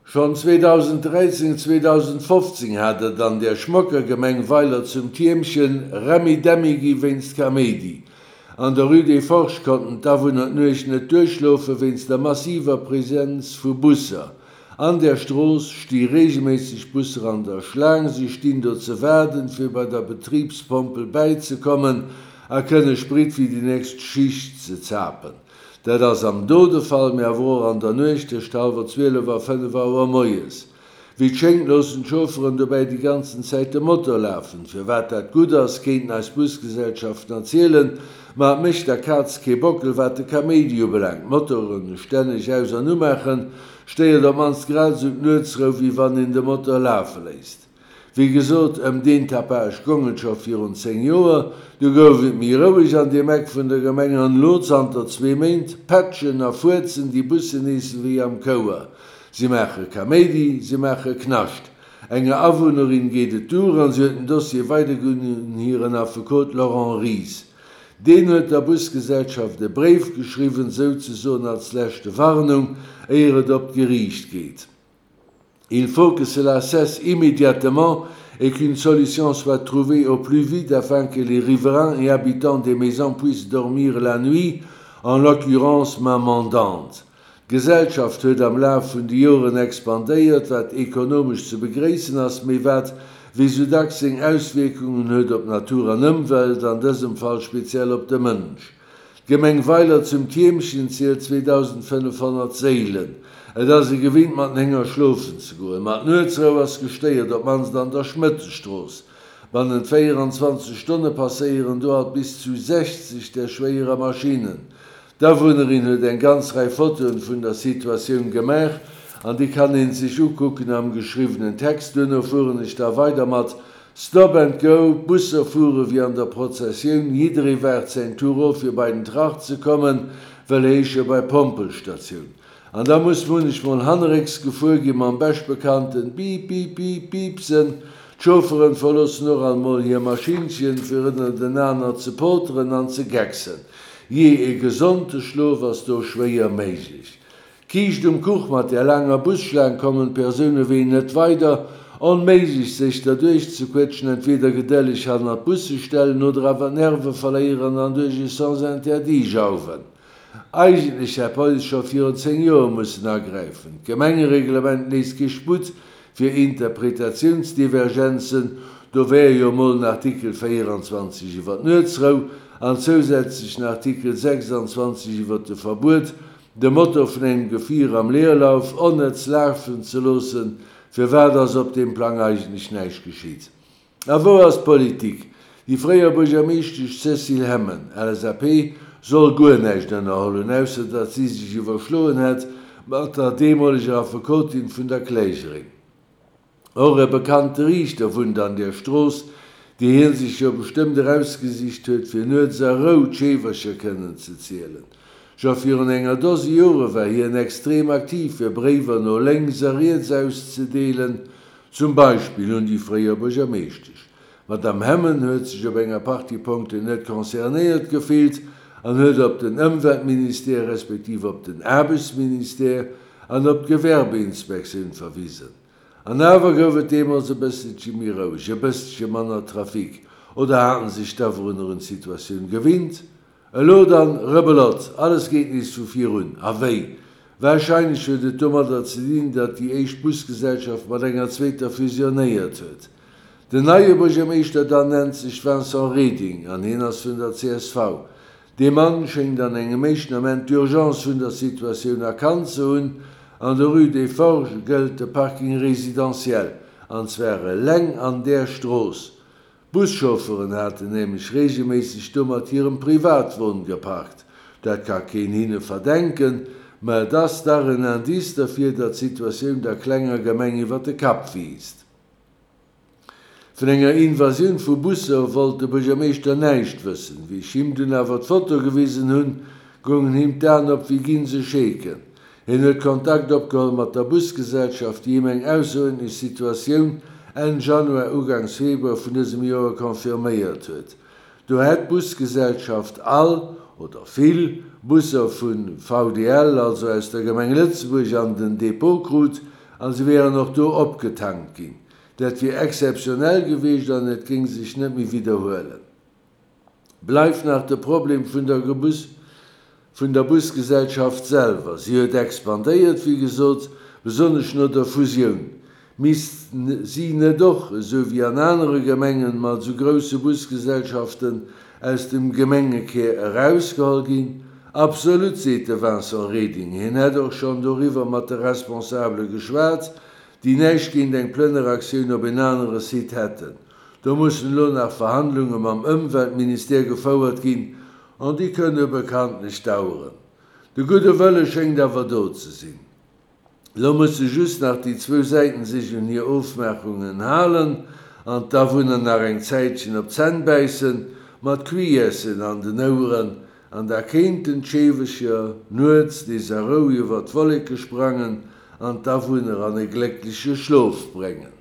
Schonn 2013, 2015 hat et an der schmocker Gemeng Weiler zum Tiermchen Remmi-Demmi gi wéinst Kaméidi. An der Rue des Forges konnten d'Awunner d'Nuecht net duerchschlofe wéinst der massiver Presenz vu Busser. An der Strooss sti reegelméisseg Busser an der Schlaang. Si stinn do ze waarden, fir bei der Betribspompel bäizekommen a kënne Sprit fir déi nächst Schicht ze zapen. Dat ass am Dodefall, mee awer och an der Nuecht tëscht hallwer 12 a 5 Auer moies. Wéi et schéngt loossen d'Chaufferen dobäi déi ganzen Zäit de Motor lafen. Firwat dat gutt ass, kéinten eis Busgesellschaften erzielen, ma et mécht der Kaz kee Bockel wat de Kaméidi ubelaangt. D'Motoren stänneg aus an umaachen, stéiert op mannst grad esou d'Nuetsrou wéi wann een de Motor lafe léisst. Wéi gesot, ëm deen Tapage gong et scho virun 10 Joer. Du gouf et méi roueg an deem Eck vun der Gemeng an elo, zanter zwee Méint, pätschen a fuerzen déi Bussen nees ewéi am Chouer. Si maache Kaméidi, si maache Knascht. Enger Awunnerin geet et duer an si huet den Dossier weiderginn un hiren Affekot Laurent Ries. Deen huet der Busgesellschaft e Bréif geschriwwen, souzesoen als leschte Warnung, éier et op d'Geriicht geet. Il faut que cela cesse immédiatement et qu'une solution soit trouvée au plus vite afin que les riverains et habitants des maisons puissent dormir la nuit, en l'occurrence ma mandante. D'Gesellschaft huet am Laf vun de Joren expandéiert, wat ekonomesch ze begréissen ass, mee wat, wéi sou dacks, seng Auswierkungen huet op Natur an Ëmwelt, an dësem Fall speziell op de Mënsch. D'Gemeng Weiler zum Tiermchen zielt 2.500 Séilen. Et ass ee gewinnt mat den Hénger schlofen ze goen, ma d'Nuetsrou ass gestéiert, op d'mannst an der Schmëttestrooss. Bannent 24 Stonne passéieren do alt bis zu 60 där schwéierer Maschinnen. D'Awunnerin huet eng ganz Rei Fotoen vun der Situatioun gemaach an déi kann een sech ukucken am geschriwwenen Text. Duerno fueren ech da weider mat Stop and go, d'Busser fuere wéi an der Prozessioun, jidderee waart säin Tour of fir bei den Trach ze kommen, wëll heesche bei Pompelstatioun. An da muss munnechmol hannerécks gefuer gi mam beschtbekannten Biip biip biip Piipsen. D'Chaufferen verloossen och alt mol hir Maschinnchen fir ënnertenaner ze poteren an ze gecksen. Jee, e gesonte Schlof ass do schwéier méiglech. D'Kiischt um Kuch, mat där laanger Busschlaang kommen d'Persouneween net weider. Onméiglech sech derduerch ze quetschen, entweder gedëlleg hannert d'Busse stellen oder awer d'Nerve verléieren an duerch e Sens interdit jauwen. Eigentlech hätt d'Police scho virun 10 Joer mussen agräifen. D'Gemengereglement léisst kee Sputt fir Interpretatiounsdivergenzen, do wär jo mol den Artikel 24 iwwer d'Nuetsrou an zousätzlech den Artikel 26 iwwer de Verbuet De Motor vun engem Gefier am Leerlauf onnëtz lafen ze loossen, firwat ass op deem Plang eigentlech näischt geschitt? A wou ass d'Politik? Déi fréier Buergermeeschtesch Cécile Hemmen, LSAP, soll guer näischt ënnerholl hunn, ausser datt si sech iwwerschloen hätt mat der deemoleger Affekotin vun der Klägerin. Och e bekannte Riichter wunnt an där Strooss, déi hien sech jo bestëmmt erausgesicht huet, fir nuets a Rou d'Scheewercher kënnen ze zielen. Scho virun enger Dose Jore war hien extrem aktiv, fir Bréiwer no lénks a riets auszedeelen, zum Beispill un déi fréier Buergermeeschtesch. D'Madame Hemmen huet sech op enger Partie Punkten net concernéiert gefillt an huet op den Ëmweltministère respektiv op den Aarbechtsministère an op d'Gewerbeinspektioun verwisen. An awer gouf et deemools e bësselche méi roueg, e bësselche manner Trafic. Oder haten sech d'Awunner un d'Situatioun gewinnt? Elo dann, Rebelott, alles geet nees vu vir un. A wéi? Warscheinlech huet et domadder ze dinn, datt déi éischt Busgesellschaft mat enger zweeter fusionéiert huet. Den neie Buergermeeschter dann nennt sech Vincent Reding an hien ass vun der csv. Dee Mann schéngt an engem éischten Ament d'Urgence vun der Situatioun erkannt ze hunn. An der Rue des Forges gëllt de Parking résidentiel, an zwar eleng an där Strooss. D'Buschaufferen haten nämlech reegelméisseg do mat hirem Privatwon geparkt. Dat ka keen hinne verdenken, ma et ass dach en Indice derfir, datt d'Situatioun der klenger Gemeng iwwer de Kapp wiisst. Vun enger Invasioun vu Busser wollt de Buergermeeschter näischt wëssen. Wéi ech him dunn awer d'Foto gewisen hunn, goungen him d'Aen op wéi Ginsescheeken. Hien huet Kontakt opgeholl mat der Busgesellschaft, déi him eng ausseruerdentlech Situatioun Enn Januar, Ugangs Februar vun dësem Joer confirméiert huet. Do hätt d'Busgesellschaft all, oder vill, Busser vu VDL, also aus der Gemeng Lëtzebuerg, an den Depot krut. A se wieren och do opgetankt ginn. Dat wier exzeptionell gewiescht an et géing sech net méi widderhuelen. Bleift nach de Problem vun der vun der Busgesellschaft selwer. Si huet expandéiert, wéi gesot, besonnesch no der Fusioun. Misst si net och, esou wéi an anere Gemengen mat esou grousse Busgesellschaften, aus dem Gemengekär erausgeholl ginn? Absolut, seet de Vincent Reding. Hien hätt och schonn doriwwer mat de Responsabele geschwat, déi näischt géint eng Plënneraktioun op en anere Site hätten. Do mussen elo nach Verhandlunge mam Ëmweltministère gefouert ginn, an déi kënne bekanntlech daueren. De gudde Wëlle schéngt awer do ze sinn. Elo musse just nach déi zwou Säiten sech un hir Ofmaachungen halen an d'Awunner nach eng Zäitchen op d'Zänn bäissen, mat Cuillères'en an den Oueren, an da kéinten d'Scheewecher nuets nees a Rou iwwer d'Wolleke sprangen an d'Awunner an e gléckleche Schlof bréngen.